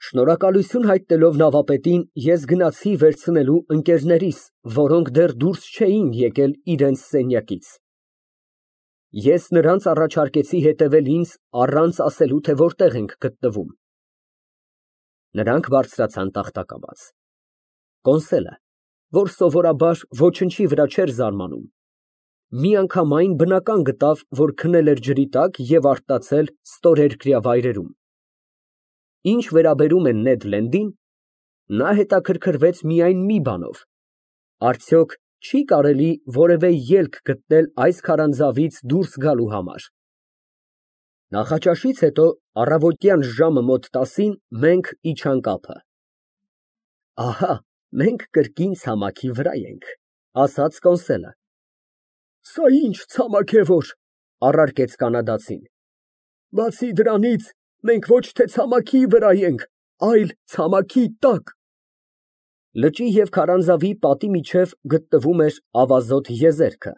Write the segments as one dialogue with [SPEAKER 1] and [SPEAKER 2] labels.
[SPEAKER 1] Շնորհակալություն հայտնելով նավապետին, ես գնացի վերցնելու ընկերներիս, որոնք դեռ դուրս չէին եկել իրենց սենյակից։ Ես նրանց առաջարկեցի հետևել ինձ առանց ասելու, թե որտեղ ենք գտնվում։ Նրանք բարձրացան տախտակաբաց։ Կոնսելը, որ սովորաբար ոչնչի վրա չէր զարմանում, միանգամայն բնական գտավ, որ քնել էր ջրի տակ և արթնացել ստորերկրյա վայրերում։ Ինչ վերաբերում է Նեդ Լենդին, նա հետաքրքրվեց միայն մի բանով. արդյոք չի կարելի որևէ ելք գտնել այս քարանձավից դուրս գալու համար։ Նախաճաշից հետո առավոտյան ժամը մոտ 10-ին մենք իջանք ափը։ Ահա, մենք կրկին ցամաքի վրա ենք, ասաց Կոնսելը։ Սա ինչ ցամաք է որ, առարկեց կանադացին։ Բացի դրանից, մենք ոչ թե ցամաքի վրա ենք, այլ ցամաքի տակ։ Լճի և քարանձավի պատի միջև գտնվում էր ավազոտ եզերքը,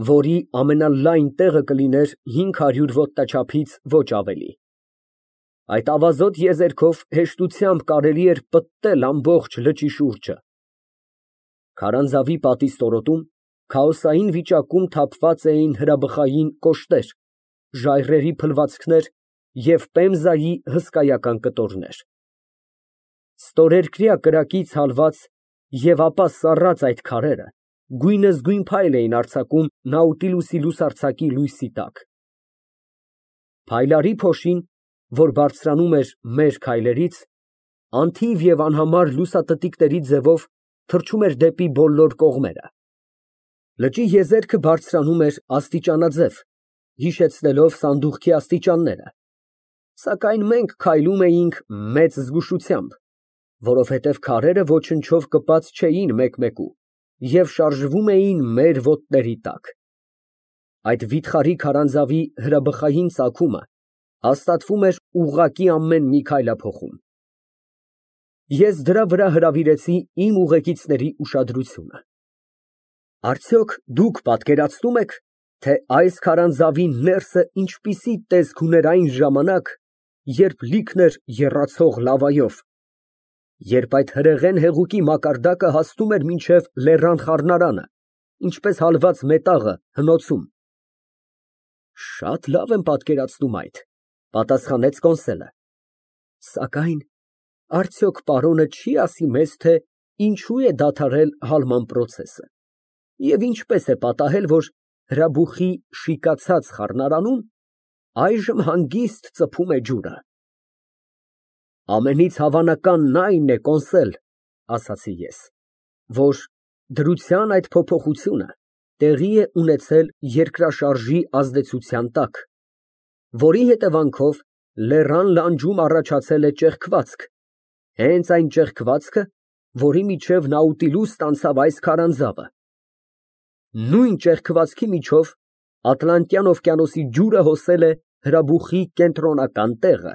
[SPEAKER 1] որի ամենալայն տեղը կլիներ 500 ոտնաչափից ոչ ավելի։ Այդ ավազոտ եզերքով հեշտությամբ կարելի էր պտտել ամբողջ լճի շուրջը։ Քարանձավի պատի ստորոտում քաոսային վիճակում թափված էին հրաբխային կոշտեր, ժայռերի փլվածքներ և Պեմզայի հսկայական կտորներ։ Ստորերկրյա կրակից հալված և ապա սառած այդ քարերը գույնզգույն փայլ էին արձակում Նաուտիլուսի լուսարձակի լույսի տակ։ Փայլարի փոշին, որ բարձրանում էր մեր քայլերից, անթիվ և անհամար լուսատտիկների ձևով թռչում էր դեպի բոլոր կողմերը։ Լճի եզերքը բարձրանում էր աստիճանաձև, հիշեցնելով սանդուղքի աստիճանները, սակայն մենք քայլում էինք մեծ զգուշությամբ, որովհետև քարերը ոչնչով կպած չէին մեկ֊մեկու և շարժվում էին մեր ոտների տակ։ Այդ վիթխարի քարանձավի հրաբխային ծագումը հաստատվում էր ուղղակի ամեն մի քայլափոխում։ Ես դրա վրա հրավիրեցի իմ ուղեկիցների ուշադրությունը։ Արդյոք դուք պատկերացնո՞ւմ եք, թե այս քարանձավի ներսը ինչպիսի տեսք ուներ այն ժամանակ, երբ լիքն էր եռացող լավայով, երբ այդ հրեղեն հեղուկի մակարդակը հասնում էր մինչև լեռան խառնարանը, ինչպես հալված մետաղը հնոցում։ Շատ լավ եմ պատկերացնում այդ, պատասխանեց Կոնսելը, սակայն արդյոք պարոնը չի ասի մեզ, թե ինչու է դադարել հալման պրոցեսը և ինչպես է պատահել, որ հրաբուխի շիկացած խառնարանում այժմ հանգիստ ծփում է ջուրը։ Ամենից հավանականն այն է, Կոնսել, ասացի ես, որ դրության այդ փոփոխությունը տեղի է ունեցել երկրաշարժի ազդեցության տակ, որի հետևանքով լեռան լանջում առաջացել է ճեղքվածք, հենց այն ճեղքվածքը, որի միջև Նաուտիլուս անցավ այս քարանձավը։ Նույն ճեղքվածքի միջով Ատլանտյան օվկիանոսի ջուրը հոսել է հրաբուխի կենտրոնական տեղը։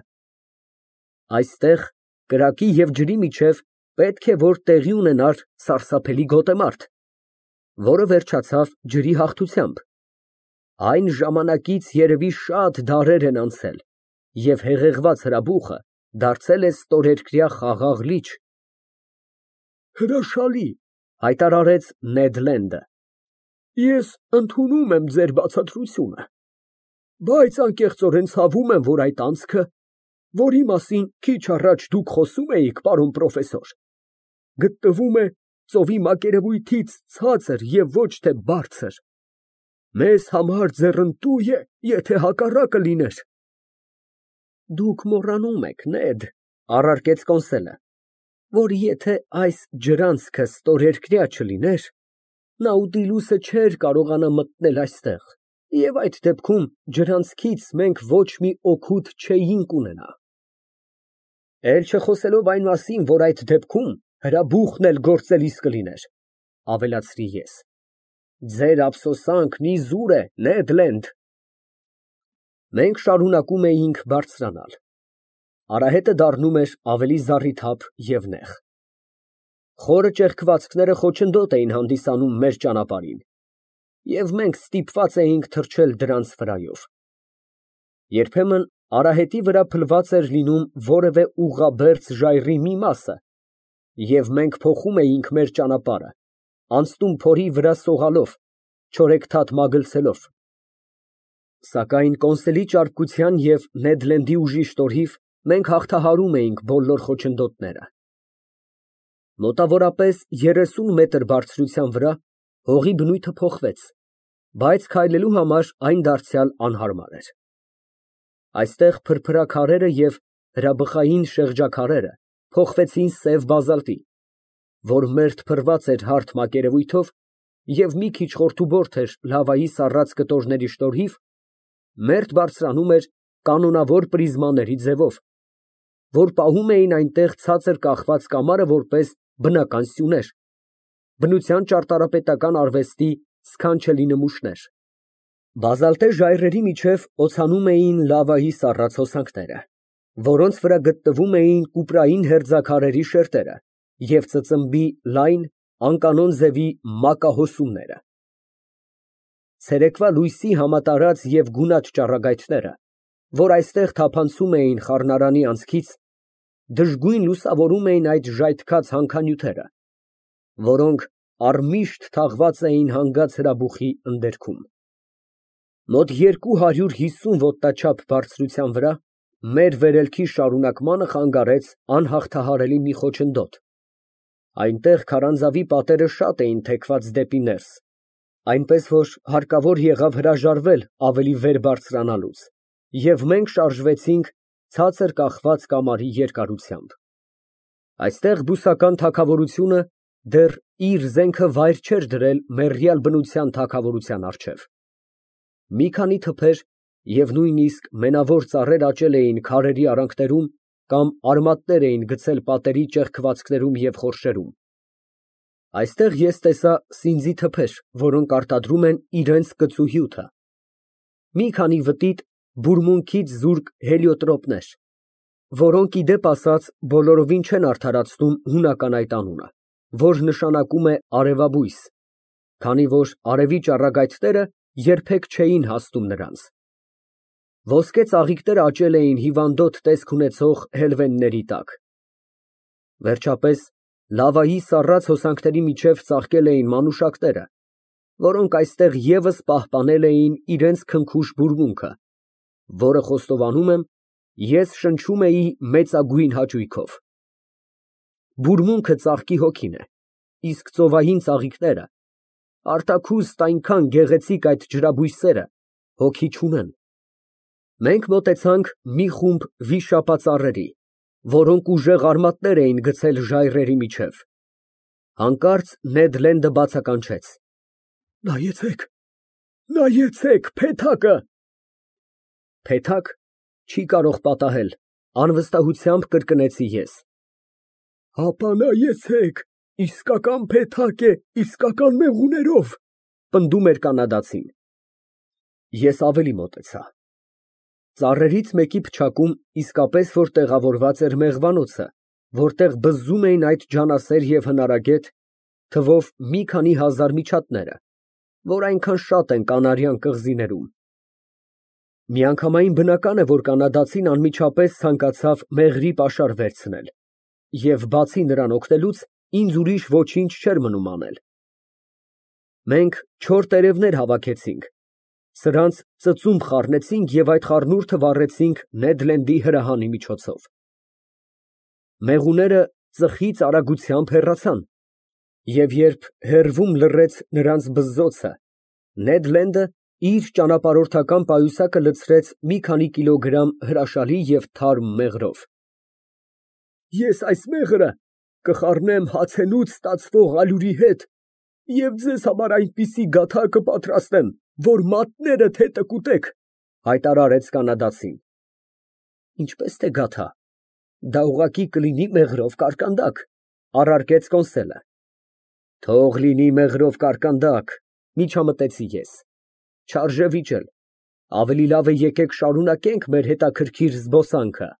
[SPEAKER 1] Այստեղ կրակի և ջրի միջև պետք է որ տեղի ունենար սարսափելի գոտեմարտ, որը վերջացավ ջրի հաղթությամբ։ Այն ժամանակից երևի շատ դարեր են անցել, և հեղեղված հրաբուխը դարձել է ստորերկրյա խաղաղ լիճ։ Հրաշալի, հայտարարեց Նեդ Լենդը։ Ես ընդունում եմ ձեր բացատրությունը, բայց անկեղծորեն ցավում եմ, որ այդ անցքը, որի մասին քիչ առաջ դուք խոսում էիք, պարոն պրոֆեսոր, գտնվում է ծովի մակերևույթից ցածր և ոչ թե բարձր։ Մեզ համար ձեռնտու է, եթե հակառակը լիներ։ Դուք մոռանում եք, Նեդ, առարկեց Կոնսելը, որ եթե այս ջրանցքը ստորերկրյա չլիներ, Նաուտիլուսը չէր կարողանա մտնել այստեղ, և այդ դեպքում ջրանցքից մենք ոչ մի օգուտ չէինք ունենա։ Էլ չխոսելով այն մասին, որ այդ դեպքում հրաբուխն էլ գործելիս կլիներ, ավելացրի ես։ Ձեր ափսոսանքն իզուր է, Նեդ Լենդ։ Մենք շարունակում էինք բարձրանալ։ Արահետը դառնում էր ավելի զառիթափ և նեղ։ Խորը ճեղքվածքները խոչընդոտ էին հանդիսանում մեր ճանապարհին, և մենք ստիպված էինք թռչել դրանց վրայով։ Երբեմն Արահետի վրա փլված էր լինում որևէ ուղղաբերձ ժայռի մի մասը, և մենք փոխում էինք մեր ճանապարհը, անցնում փորի վրա սողալով, չորեքթաթ մագլցելով։ Սակայն կոնսելի ճարպկության և Նեդ Լենդի ուժի շնորհիվ մենք հաղթահարում էինք բոլոր խոչընդոտները։ Մոտավորապես 30 մետր բարձրության վրա հողի բնույթը փոխվեց, բայց քայլելու համար այն դարձյալ անհարմար էր։ Այստեղ փրփրաքարերը և հրաբխային շեղջաքարերը փոխվեցին սև բազալտի, որ մերթ փռված էր հարթ մակերևույթով և մի քիչ խորթուբորդ էր լավայի սառած կտորների շնորհիվ, մերթ բարձրանում էր կանոնավոր պրիզմաների ձևով, որ պահում էին այնտեղ ցածր կախված կամարը որպես բնական սյուներ, բնության ճարտարապետական արվեստի սքանչելի նմուշներ։ Բազալտե ժայռերի միջև օցանում էին լավայի սառած հոսանքները, որոնց վրա գտնվում էին կուպրային հերձաքարերի շերտերը և ծծմբի լայն, անկանոն ձևի մակահոսումները։ Ցերեկվա լույսի համատարած և գունատ ճառագայթները, որ այստեղ թափանցում էին խառնարանի անցքից, դժգույն լուսավորում էին այդ ժայթքած հանքանյութերը, որոնք առմիշտ թաղված էին հանգած հրաբուխի ընդերքում։ Մոտ 250 ոտնաչափ բարձրության վրա մեր վերելքի շարունակմանը խանգարեց անհաղթահարելի մի խոչընդոտ. այնտեղ քարանձավի պատերը շատ էին թեքված դեպի ներս, այնպես որ հարկավոր եղավ հրաժարվել ավելի վեր բարձրանալուց, և մենք շարժվեցինք ցածր կախված կամարի երկարությամբ։ Այստեղ բուսական թագավորությունը դեռ իր զենքը վայր չէր դրել մեռյալ բնության թագավորության առջև։ Մի քանի թփեր և նույնիսկ մենավոր ծառեր աճել էին քարերի արանքներում կամ արմատներ էին գցել պատերի ճեղքվածքներում և խորշերում։ Այստեղ ես տեսա սինձի թփեր, որոնք արտադրում են իրենց կծու հյութը, մի քանի վտիտ բուրմունքից զուրկ հելիոտրոպներ, որոնք, ի դեպ ասած, բոլորովին չեն արդարացնում հունական այդ անունը, որ նշանակում է արևաբույս, քանի որ արևի ճառագայթները երբեք չէին հասնում նրանց։ Ոսկե ծաղիկները աճել էին հիվանդոտ տեսք ունեցող հելվենների տակ։ Վերջապես, լավայի սառած հոսանքների միջև ծաղկել էին մանուշակները, որոնք այստեղ ևս պահպանել էին իրենց քնքուշ բուրմունքը, որը, խոստովանում եմ, ես շնչում էի մեծագույն հաճույքով։ Բուրմունքը ծաղկի հոգին է, իսկ ծովային ծաղիկները, արտաքուստ այնքան գեղեցիկ այդ ջրաբույսերը, հոգի չունեն։ Մենք մոտեցանք մի խումբ վիշապածառերի, որոնք ուժեղ արմատներ էին գցել ժայռերի միջև։ Հանկարծ Նեդ Լենդը բացականչեց. Նայեցեք, նայեցեք, փեթակը։ Փեթակ չի կարող պատահել, անվստահությամբ կրկնեցի ես։ Հապա նայեցեք, իսկական փեթակ է, իսկական մեղուներով, պնդում էր կանադացին։ Ես ավելի մոտեցա։ Ծառերից մեկի փչակում իսկապես որ տեղավորված էր մեղվանոցը, որտեղ բզզում էին այդ ջանասեր և հնարագետ, թվով մի քանի հազար միջատները, որ այնքան շատ են Կանարյան կղզիներում։ Միանգամայն բնական է, որ կանադացին անմիջապես ցանկացավ մեղրի պաշար վերցնել, և բացի նրան օգնելուց, ինձ ուրիշ ոչինչ չէր մնում անել։ Մենք չոր տերևներ հավաքեցինք, սրանց ծծումբ խառնեցինք և այդ խառնուրդը վառեցինք Նեդ Լենդի հրահանի միջոցով։ Մեղուները ծխից արագությամբ հեռացան, և երբ հեռվում լռեց նրանց բզզոցը, Նեդ Լենդը իր ճանապարհորդական պայուսակը լցրեց մի քանի կիլոգրամ հրաշալի և թարմ մեղրով։ Ես այս մեղրը կխառնեմ հացենուց ստացվող ալյուրի հետ և ձեզ համար այնպիսի գաթա կպատրաստեմ, որ մատներդ հետը կուտեք, հայտարարեց կանադացին։ Ինչպես թե գաթա, դա ուղղակի կլինի մեղրով կարկանդակ, առարկեց կոնսելը։ Թող լինի մեղրով կարկանդակ, միջամտեցի ես, չարժե վիճել, ավելի լավ է եկեք շարունակենք մեր հետաքրքիր զբոսանքը։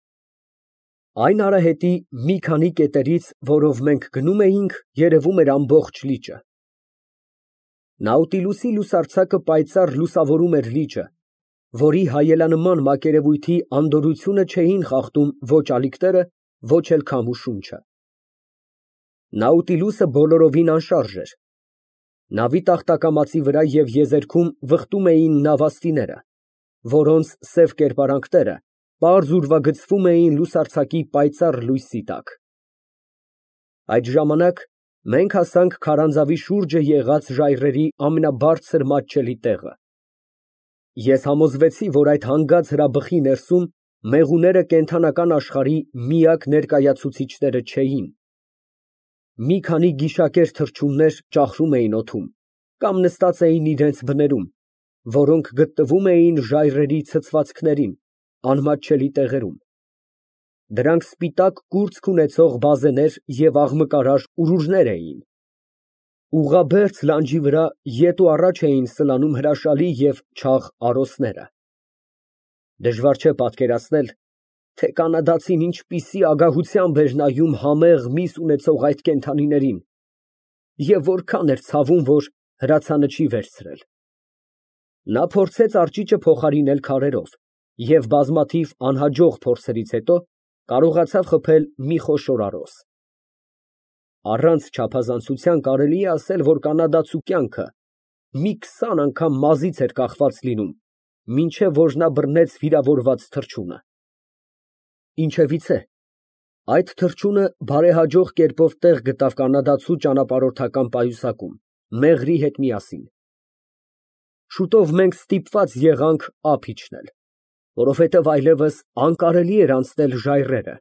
[SPEAKER 1] Այն արահետի մի քանի կետերից, որով մենք գնում էինք, երևում էր ամբողջ լիճը։ Նաուտիլուսի լուսարձակը պայծառ լուսավորում էր լիճը, որի հայելանման մակերևույթի անդորրությունը չէին խախտում ոչ ալիքները, ոչ էլ քամու շունչը։ Նաուտիլուսը բոլորովին անշարժ էր։ Նավի տախտակամածի վրա և եզերքում վխտում էին նավաստիները, որոնց սև կերպարանքները պարզ ուրվագծվում էին լուսարձակի պայծառ լույսի տակ։ Այդ ժամանակ մենք հասանք քարանձավի շուրջը եղած ժայռերի ամենաբարձր մատչելի տեղը։ Ես համոզվեցի, որ այդ հանգած հրաբխի ներսում մեղուները կենդանական աշխարհի միակ ներկայացուցիչները չէին։ Մի քանի գիշակեր թռչուններ ճախրում էին օդում կամ նստած էին իրենց բներում, որոնք գտնվում էին ժայռերի ցցվածքներին, անմատչելի տեղերում։ Դրանք սպիտակ կուրծք ունեցող բազեներ և աղմկարար ուրուրներ էին։ Ուղղաբերձ լանջի վրա ետ ու առաջ էին սլանում հրաշալի և չաղ արոսները։ Դժվար չէ պատկերացնել, թե կանադացին ինչպիսի ագահությամբ էր նայում համեղ միս ունեցող այդ կենդանիներին և որքան էր ցավում, որ հրացանը չի վերցրել։ Նա փորձեց արջիճը փոխարինել քարերով և բազմաթիվ անհաջող փորձերից հետո կարողացավ խփել մի խոշոր արոս։ Առանց չափազանցության կարելի է ասել, որ կանադացու կյանքը մի 20 անգամ մազից էր կախված լինում, մինչև որ նա բռնեց վիրավորված թռչունը։ Ինչևիցե, այդ թռչունը բարեհաջող կերպով տեղ գտավ կանադացու ճանապարհորդական պայուսակում, մեղրի հետ միասին։ Շուտով մենք ստիպված եղանք ափ իջնել, որովհետև այլևս անկարելի էր անցնել ժայռերը։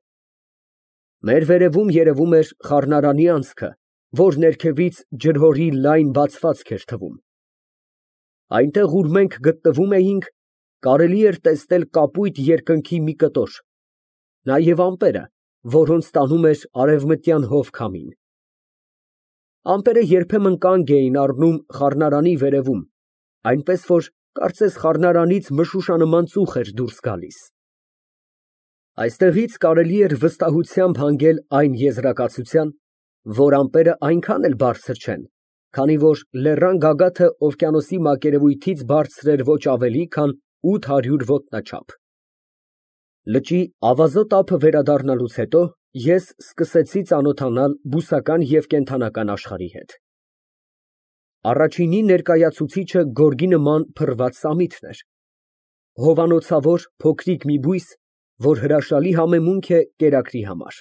[SPEAKER 1] Մեր վերևում երևում էր խառնարանի անցքը, որ ներքևից ջրհորի լայն բացվածք էր թվում։ Այնտեղ, ուր մենք գտնվում էինք, կարելի էր տեսնել կապույտ երկնքի մի կտոր, նաև ամպերը, որոնց տանում էր արևմտյան հովքամին։ Ամպերը երբեմն կանգ էին առնում խառնարանի վերևում, այնպես որ կարծես խառնարանից մշուշանման ծուխ էր դուրս գալիս։ Այստեղից կարելի էր վստահությամբ հանգել այն եզրակացության, որ ամպերը այնքան էլ բարձր չեն, քանի որ լեռան գագաթը օվկիանոսի մակերևույթից բարձր էր ոչ ավելի, քան 800 ոտնաչափ։ Լճի ավազոտ ափը վերադառնալուց հետո ես սկսեցի ծանոթանալ բուսական և կենդանական աշխարհի հետ։ Առաջինի ներկայացուցիչը գորգի նման փռված սամիթն էր, հովանոցավոր փոքրիկ մի բույս, որ հրաշալի համեմունք է կերակրի համար։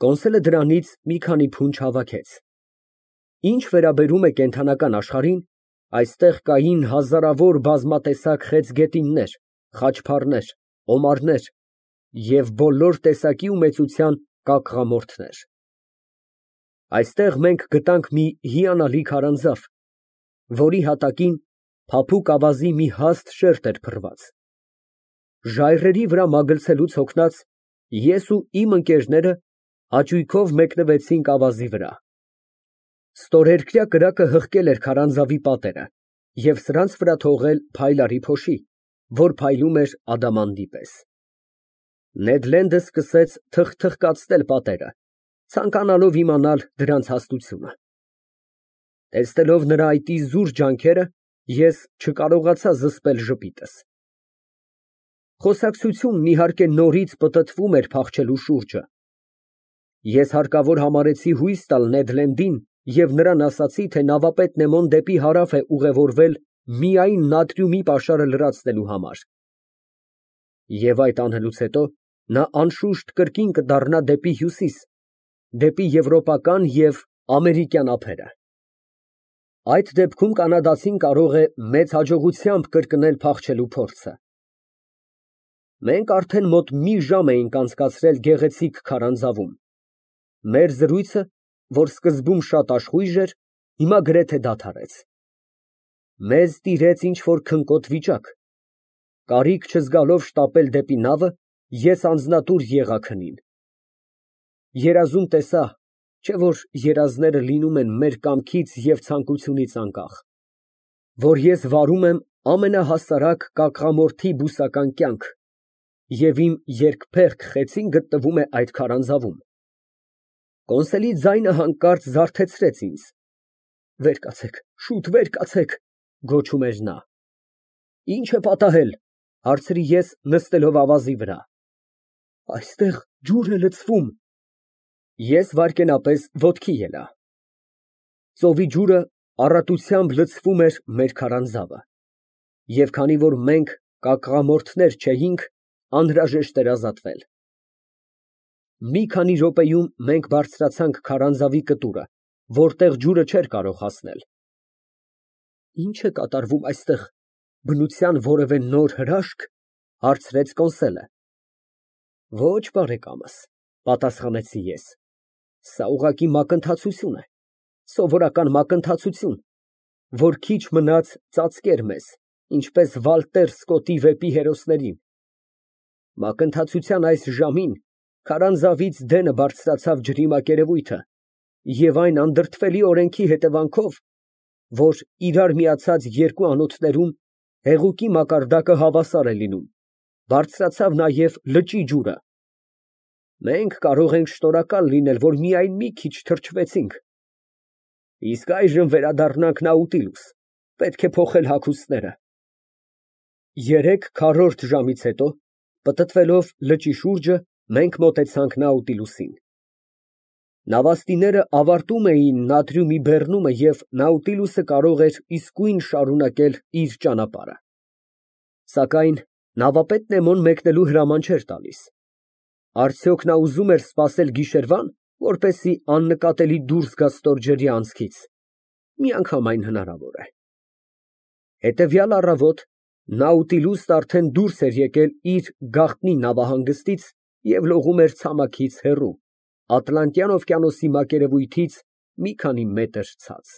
[SPEAKER 1] Կոնսոլը դրանից մի քանի փունջ հավաքեց։ Ինչ վերաբերում է կենդանական աշխարհին, այստեղ կային հազարավոր բազմատեսակ խեցգետիններ, խաչփառներ, օմարներ և բոլոր տեսակի ու մեծության կակղամորթներ։ Այստեղ մենք գտանք մի հիանալի քարանձավ, որի հատակին փափուկ ավազի մի հաստ շերտ էր փռված։ Ժայռերի վրա մագլցելուց հոգնած, ես ու իմ ընկերները հաճույքով մեկնվեցինք ավազի վրա։ Ստորերկրյա կրակը հղկել էր քարանձավի պատերը և սրանց վրա թողել փայլարի փոշի, որ փայլում էր ադամանդի պես։ Նեդ Լենդը սկսեց թխթխկացնել պատերը, ցանկանալով իմանալ դրանց հաստությունը։ Տեսնելով նրա այդ իզուր ջանքերը, ես չկարողացա զսպել ժպիտս։ Խոսակցությունն, իհարկե, նորից պտտվում էր փախչելու շուրջը։ Ես հարկավոր համարեցի հույս տալ Նեդ Լենդին և նրան ասացի, թե նավապետ Նեմոն դեպի հարավ է ուղևորվել միայն նատրիումի պաշարը լրացնելու համար, և այդ անելուց հետո նա անշուշտ կրկին կդառնա դեպի հյուսիս, դեպի եվրոպական և ամերիկյան ափերը։ Այդ դեպքում կանադացին կարող է մեծ հաջողությամբ կրկնել փախչելու փորձը։ Մենք արդեն մոտ մի ժամ էինք անցկացրել գեղեցիկ քարանձավում։ Մեր զրույցը, որ սկզբում շատ աշխույժ էր, հիմա գրեթե դադարեց։ Մեզ տիրեց ինչ֊որ քնկոտ վիճակ։ Կարիք չզգալով շտապել դեպի նավը, ես անձնատուր եղա քնին։ Երազում տեսա, չէ՞ որ երազները լինում են մեր կամքից և ցանկությունից անկախ, որ ես վարում եմ ամենահասարակ կակղամորթի բուսական կյանք, և իմ երկփեղկ խեցին գտնվում է այդ քարանձավում։ Կոնսոլի ձայնը հանկարծ զարթեցրեց ինձ։ «Վեր կացեք, շուտ վեր կացեք», ֊ գոչում էր նա։ Ինչ է պատահել, հարցրի ես, նստելով ավազի վրա։ Այստեղ ջուր է լցվում։ Ես վայրկենապես ոտքի ելա։ Ծովի ջուրը առատությամբ լցվում էր մեր քարանձավը, և քանի որ մենք կակղամորթներ չէինք, անհրաժեշտ էր ազատվել։ Մի քանի րոպեում մենք բարձրացանք քարանձավի կտուրը, որտեղ ջուրը չէր կարող հասնել։ Ի՞նչ է կատարվում այստեղ, բնության որևէ նոր հրաշք, հարցրեց Կոնսելը։ Ոչ, բարեկամս, պատասխանեցի ես, սա ուղղակի մակընթացություն է, սովորական մակընթացություն, որ քիչ մնաց ծածկեր մեզ, ինչպես Վալտեր Սկոտի վեպի հերոսներին։ Մակընթացության այս ժամին քարանձավից դենը բարձրացավ ջրի մակերևույթը, և այն անդրդվելի օրենքի հետևանքով, որ իրար միացած երկու անոթներում հեղուկի մակարդակը հավասար է լինում, բարձրացավ նաև լճի ջուրը։ Մենք կարող ենք շնորհակալ լինել, որ միայն մի քիչ թրջվեցինք։ Իսկ այժմ վերադառնանք Նաուտիլուս, պետք է փոխել հագուստները։ 3 քառորդ ժամից հետո, պտտվելով լճի շուրջը, մենք մոտեցանք Նաուտիլուսին։ Նավաստիները ավարտում էին նատրիումի բեռնումը, և Նաուտիլուսը կարող էր իսկույն շարունակել իր ճանապարհը։ Սակայն նավապետ Նեմոն մեկնելու հրաման չէր տալիս։ Արդյոք նա ուզում էր սպասել գիշերվա՞ն, որպեսզի աննկատելի դուրս գա ստորջրյա անցքից։ Միանգամայն հնարավոր է։ Հետևյալ առավոտ Նաուտիլուսն արդեն դուրս էր եկել իր գաղտնի նավահանգստից և լողում էր ցամաքից հեռու, Ատլանտյան օվկիանոսի մակերևույթից մի քանի մետր ցած։